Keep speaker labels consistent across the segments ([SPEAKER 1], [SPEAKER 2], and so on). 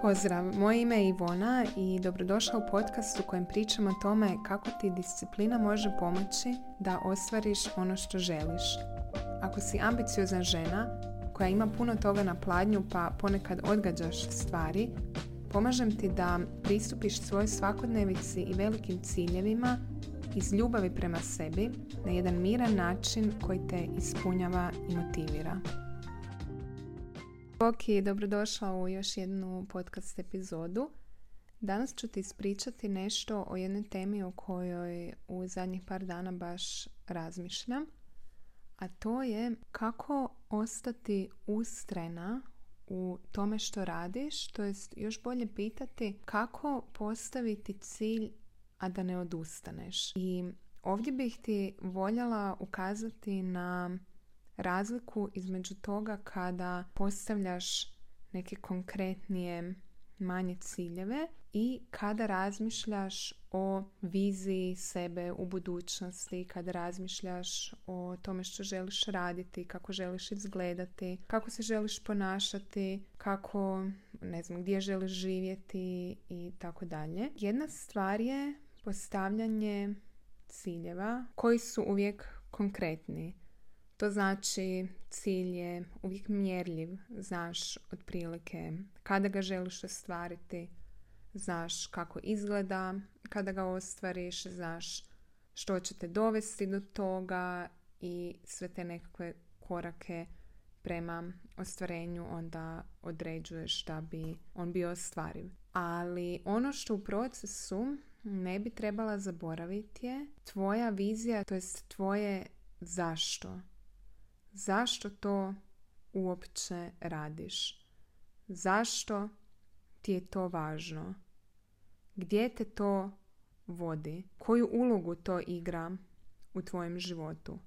[SPEAKER 1] Pozdrav, moje ime je Ivona i dobrodošla u podcast u kojem pričamo o tome kako ti disciplina može pomoći da ostvariš ono što želiš. Ako si ambiciozna žena koja ima puno toga na pladnju pa ponekad odgađaš stvari, pomažem ti da pristupiš svojoj svakodnevici i velikim ciljevima iz ljubavi prema sebi na jedan miran način koji te ispunjava i motivira. Bok i dobrodošla u još jednu podcast epizodu. Danas ću ti ispričati nešto o jednoj temi o kojoj u zadnjih par dana baš razmišljam, a to je kako ostati ustrajna u tome što radiš, to jest još bolje pitati kako postaviti cilj, a da ne odustaneš. I ovdje bih ti voljela ukazati na razliku između toga kada postavljaš neke konkretnije manje ciljeve i kada razmišljaš o viziji sebe u budućnosti, kada razmišljaš o tome što želiš raditi, kako želiš izgledati, kako se želiš ponašati, kako, gdje želiš živjeti i tako dalje. Jedna stvar je postavljanje ciljeva koji su uvijek konkretni. To znači cilj je uvijek mjerljiv, znaš otprilike kada ga želiš ostvariti, znaš kako izgleda kada ga ostvariš, znaš što će te dovesti do toga i sve te nekakve korake prema ostvarenju onda određuješ da bi on bio ostvariv. Ali ono što u procesu ne bi trebala zaboraviti je tvoja vizija, to jest tvoje zašto. Zašto to uopće radiš? Zašto ti je to važno? Gdje te to vodi? Koju ulogu to igra u tvojem životu?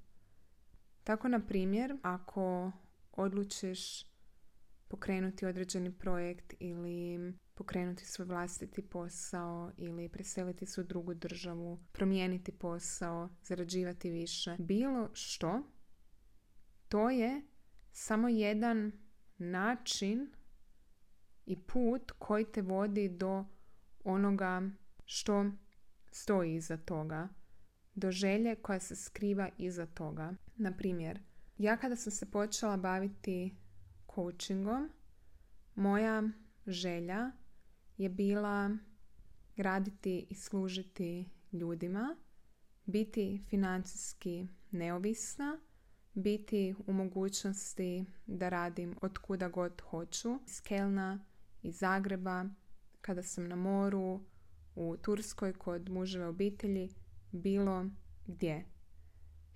[SPEAKER 1] Tako, na primjer, ako odlučiš pokrenuti određeni projekt ili pokrenuti svoj vlastiti posao ili preseliti se u drugu državu, promijeniti posao, zarađivati više, bilo što, to je samo jedan način i put koji te vodi do onoga što stoji iza toga, do želje koja se skriva iza toga. Na primjer, ja kada sam se počela baviti coachingom, moja želja je bila raditi i služiti ljudima, biti financijski neovisna, biti u mogućnosti da radim od kuda god hoću, iz Kelna, iz Zagreba, kada sam na moru, u Turskoj kod muževe obitelji, bilo gdje.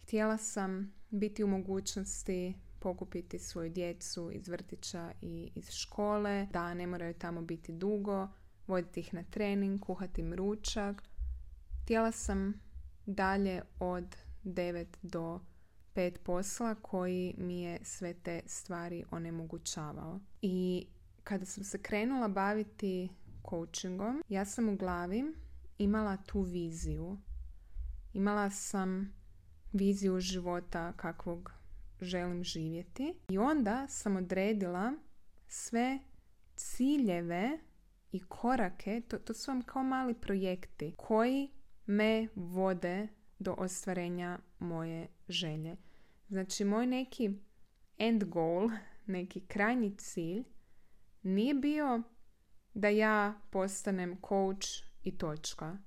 [SPEAKER 1] Htjela sam biti u mogućnosti pokupiti svoju djecu iz vrtića i iz škole, da ne moraju tamo biti dugo, voditi ih na trening, kuhati im ručak. Htjela sam dalje od 9 do 5 posla koji mi je sve te stvari onemogućavao. I kada sam se krenula baviti coachingom, ja sam u glavi imala tu viziju. Imala sam viziju života kakvog želim živjeti i onda sam odredila sve ciljeve i korake, to su vam kao mali projekti koji me vode do ostvarenja moje želje. Znači, moj neki end goal, neki krajnji cilj, nije bio da ja postanem coach i točka.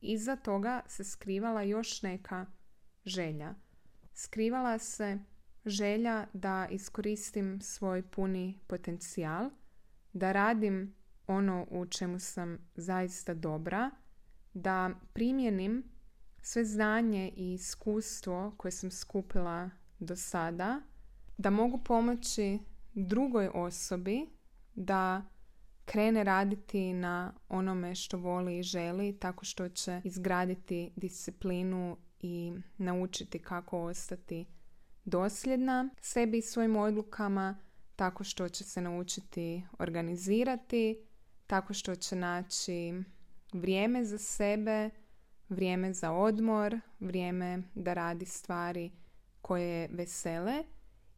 [SPEAKER 1] Iza toga se skrivala još neka želja. Skrivala se želja da iskoristim svoj puni potencijal, da radim ono u čemu sam zaista dobra, da primjenim sve znanje i iskustvo koje sam skupila do sada, da mogu pomoći drugoj osobi da krene raditi na onome što voli i želi, tako što će izgraditi disciplinu i naučiti kako ostati dosljedna sebi i svojim odlukama, tako što će se naučiti organizirati, tako što će naći vrijeme za sebe, vrijeme za odmor, vrijeme da radi stvari koje vesele.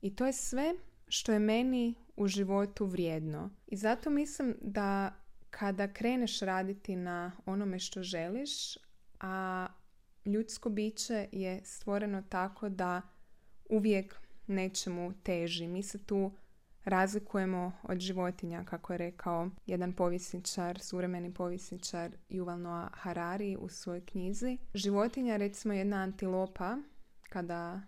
[SPEAKER 1] I to je sve što je meni u životu vrijedno. I zato mislim da kada kreneš raditi na onome što želiš, a ljudsko biće je stvoreno tako da uvijek nečemu teži. Mi se tu razlikujemo od životinja, kako je rekao jedan povjesničar, suvremeni povjesničar Yuval Noah Harari u svojoj knjizi. Životinja, recimo jedna antilopa, kada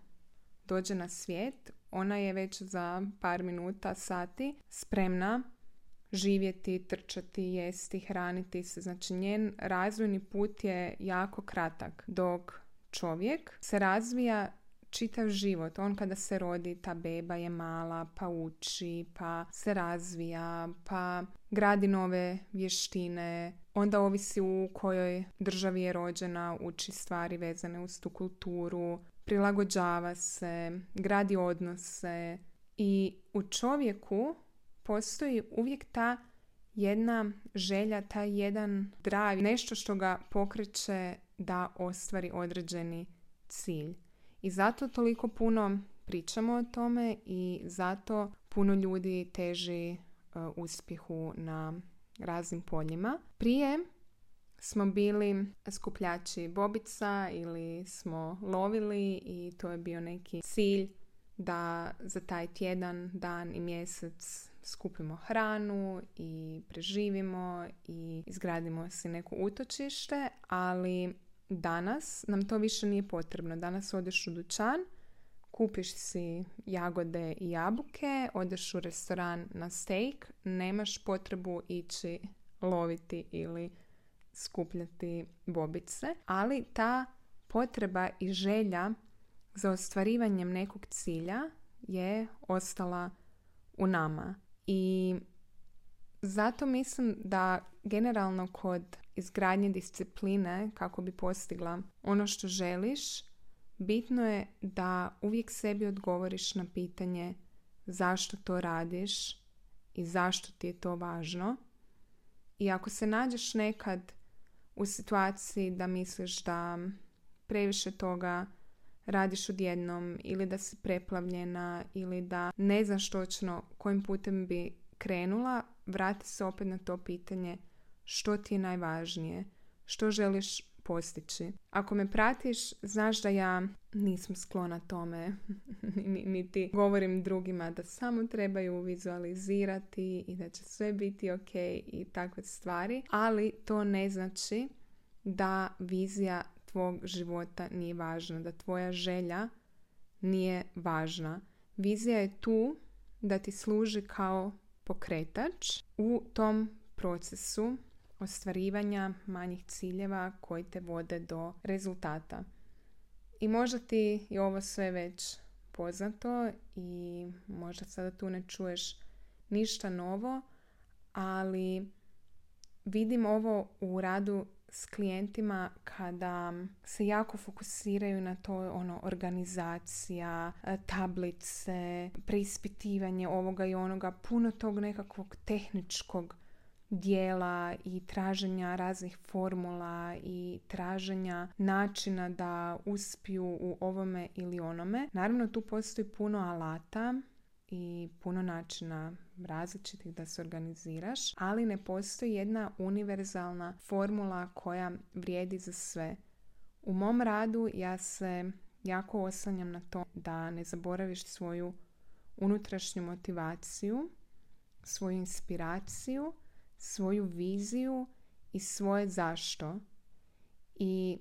[SPEAKER 1] dođe na svijet, ona je već za par minuta, sati spremna živjeti, trčati, jesti, hraniti se. Znači njen razvojni put je jako kratak, dok čovjek se razvija čitav život. On kada se rodi, ta beba je mala, pa uči, pa se razvija, pa gradi nove vještine. Onda ovisi u kojoj državi je rođena, uči stvari vezane uz tu kulturu, prilagođava se, gradi odnose. I u čovjeku postoji uvijek ta jedna želja, taj jedan drive, nešto što ga pokreće da ostvari određeni cilj. I zato toliko puno pričamo o tome i zato puno ljudi teži uspjehu na raznim poljima. Prije smo bili skupljači bobica ili smo lovili i to je bio neki cilj da za taj tjedan, dan i mjesec skupimo hranu i preživimo i izgradimo si neko utočište, ali danas nam to više nije potrebno. Danas odeš u dućan, kupiš si jagode i jabuke, odeš u restoran na steak, nemaš potrebu ići loviti ili skupljati bobice, ali ta potreba i želja za ostvarivanjem nekog cilja je ostala u nama. I zato mislim da generalno kod izgradnje discipline, kako bi postigla ono što želiš, bitno je da uvijek sebi odgovoriš na pitanje zašto to radiš i zašto ti je to važno. I ako se nađeš nekad u situaciji da misliš da previše toga radiš odjednom ili da si preplavljena ili da ne znaš točno kojim putem bi krenula, vrati se opet na to pitanje što ti je najvažnije, što želiš postići. Ako me pratiš, znaš da ja nisam sklona tome, niti govorim drugima da samo trebaju vizualizirati i da će sve biti ok i takve stvari, ali to ne znači da vizija tvog života nije važna, da tvoja želja nije važna. Vizija je tu da ti služi kao pokretač u tom procesu ostvarivanja manjih ciljeva koji te vode do rezultata. I možda ti je ovo sve već poznato i možda sada tu ne čuješ ništa novo, ali vidim ovo u radu s klijentima kada se jako fokusiraju na to organizacija, tablice, preispitivanje ovoga i onoga, puno tog nekakvog tehničkog dijela i traženja raznih formula i traženja načina da uspiju u ovome ili onome. Naravno, tu postoji puno alata i puno načina različitih da se organiziraš, ali ne postoji jedna univerzalna formula koja vrijedi za sve. U mom radu ja se jako oslanjam na to da ne zaboraviš svoju unutrašnju motivaciju, svoju inspiraciju, svoju viziju i svoje zašto. I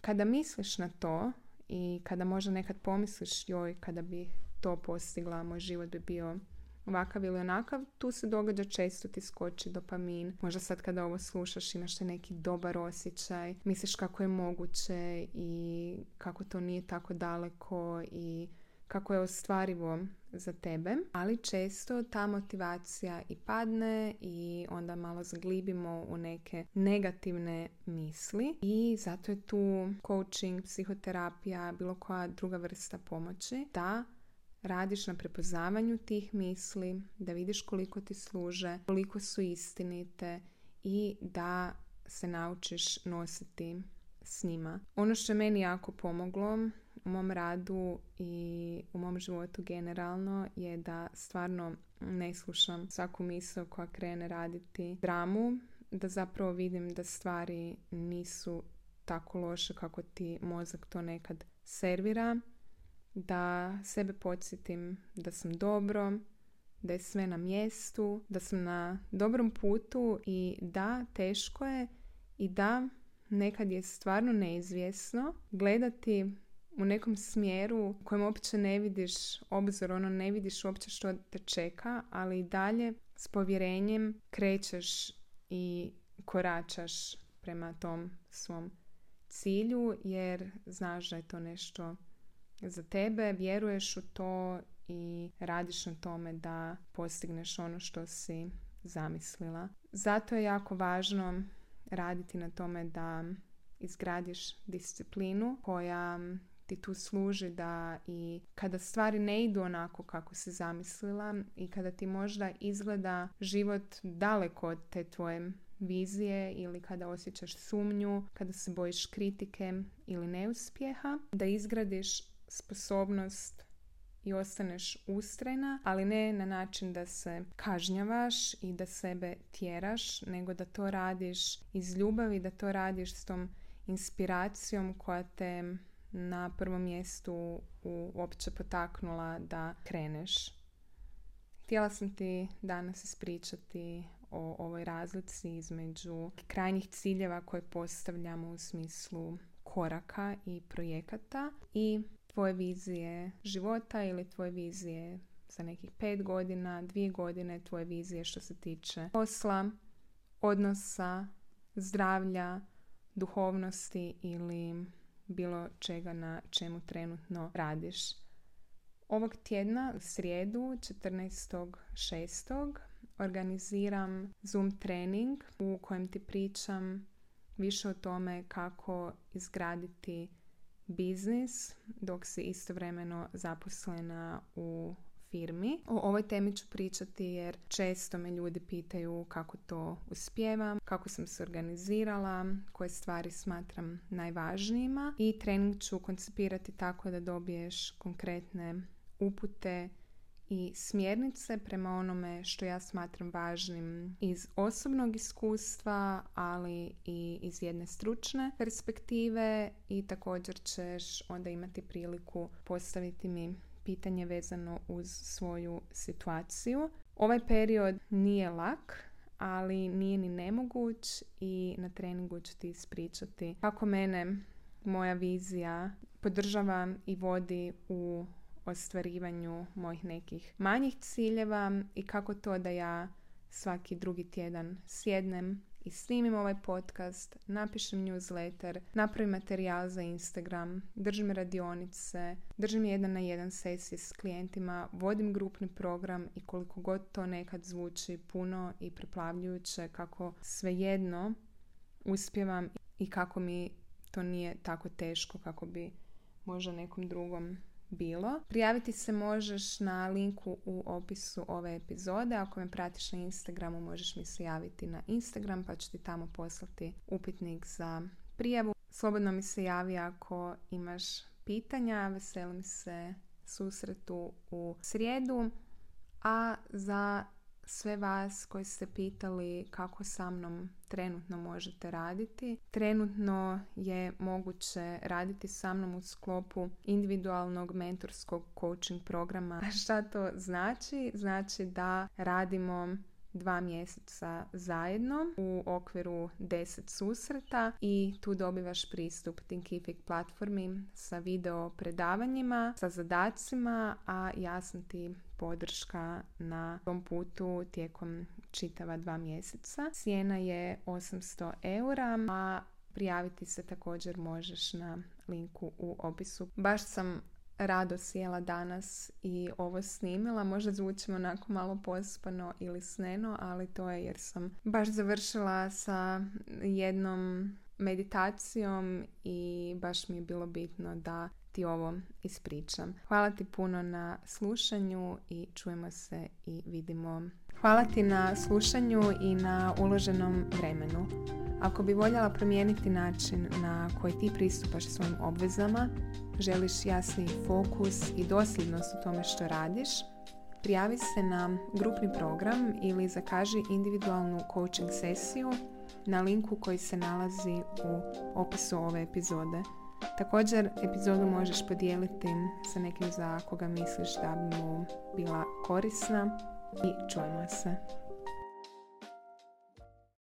[SPEAKER 1] kada misliš na to i kada možda nekad pomisliš joj, kada bi to postigla, moj život bi bio ovakav ili onakav, tu se događa često, ti skoči dopamin. Možda sad kada ovo slušaš imaš neki dobar osjećaj, misliš kako je moguće i kako to nije tako daleko i kako je ostvarivo za tebe, ali često ta motivacija i padne i onda malo zaglibimo u neke negativne misli i zato je tu coaching, psihoterapija, bilo koja druga vrsta pomoći da radiš na prepoznavanju tih misli, da vidiš koliko ti služe, koliko su istinite i da se naučiš nositi s njima. Ono što je meni jako pomoglo u mom radu i u mom životu generalno je da stvarno ne slušam svaku misao koja krene raditi dramu, da zapravo vidim da stvari nisu tako loše kako ti mozak to nekad servira, da sebe podsjetim da sam dobro, da je sve na mjestu, da sam na dobrom putu i da, teško je i da nekad je stvarno neizvjesno gledati u nekom smjeru u kojem uopće ne vidiš obzor, ne vidiš uopće što te čeka, ali i dalje s povjerenjem krećeš i koračaš prema tom svom cilju, jer znaš da je to nešto za tebe, vjeruješ u to i radiš na tome da postigneš ono što si zamislila. Zato je jako važno raditi na tome da izgradiš disciplinu koja ti tu služi da i kada stvari ne idu onako kako si zamislila i kada ti možda izgleda život daleko od te tvoje vizije ili kada osjećaš sumnju, kada se bojiš kritike ili neuspjeha, da izgradiš sposobnost i ostaneš ustrajna, ali ne na način da se kažnjavaš i da sebe tjeraš, nego da to radiš iz ljubavi, da to radiš s tom inspiracijom koja te na prvom mjestu uopće potaknula da kreneš. Htjela sam ti danas ispričati o ovoj razlici između krajnjih ciljeva koje postavljamo u smislu koraka i projekata i tvoje vizije života ili tvoje vizije za nekih 5 godina, 2 godine, tvoje vizije što se tiče posla, odnosa, zdravlja, duhovnosti ili bilo čega na čemu trenutno radiš. Ovog tjedna, u srijedu, 14.6. organiziram Zoom trening u kojem ti pričam više o tome kako izgraditi biznis dok si istovremeno zaposlena u firmi. O ovoj temi ću pričati jer često me ljudi pitaju kako to uspijevam, kako sam se organizirala, koje stvari smatram najvažnijima i trening ću koncipirati tako da dobiješ konkretne upute i smjernice prema onome što ja smatram važnim iz osobnog iskustva, ali i iz jedne stručne perspektive i također ćeš onda imati priliku postaviti mi pitanje vezano uz svoju situaciju. Ovaj period nije lak, ali nije ni nemoguć i na treningu ću ti ispričati kako mene moja vizija podržava i vodi u ostvarivanju mojih nekih manjih ciljeva i kako to da ja svaki drugi tjedan sjednem i snimim ovaj podcast, napišem newsletter, napravim materijal za Instagram, držim radionice, držim 1-na-1 sesije s klijentima, vodim grupni program i koliko god to nekad zvuči puno i preplavljujuće, kako svejedno uspijevam i kako mi to nije tako teško kako bi možda nekom drugom bilo. Prijaviti se možeš na linku u opisu ove epizode. Ako me pratiš na Instagramu, možeš mi se javiti na Instagram pa ću ti tamo poslati upitnik za prijavu. Slobodno mi se javi ako imaš pitanja. Veselim se susretu u srijedu. A za sve vas koji ste pitali kako sa mnom trenutno možete raditi. Trenutno je moguće raditi sa mnom u sklopu individualnog mentorskog coaching programa. A šta to znači? Znači da radimo 2 mjeseca zajedno u okviru 10 susreta i tu dobivaš pristup Thinkific platformi sa video predavanjima, sa zadacima, a ja sam ti podrška na tom putu tijekom čitava 2 mjeseca. Cijena je 800 eura, a prijaviti se također možeš na linku u opisu. Baš sam rado sjela danas i ovo snimila. Možda zvučim onako malo pospano ili sneno, ali to je jer sam baš završila sa jednom meditacijom i baš mi je bilo bitno da ti ovo ispričam. Hvala ti puno na slušanju i čujemo se i vidimo. Hvala ti na slušanju i na uloženom vremenu. Ako bi voljela promijeniti način na koji ti pristupaš svojim obvezama želiš jasniji fokus i dosljednost u tome što radiš, prijavi se na grupni program ili zakaži individualnu coaching sesiju na linku koji se nalazi u opisu ove epizode. Također, epizodu možeš podijeliti sa nekim za koga misliš da bi mu bila korisna i čujemo se.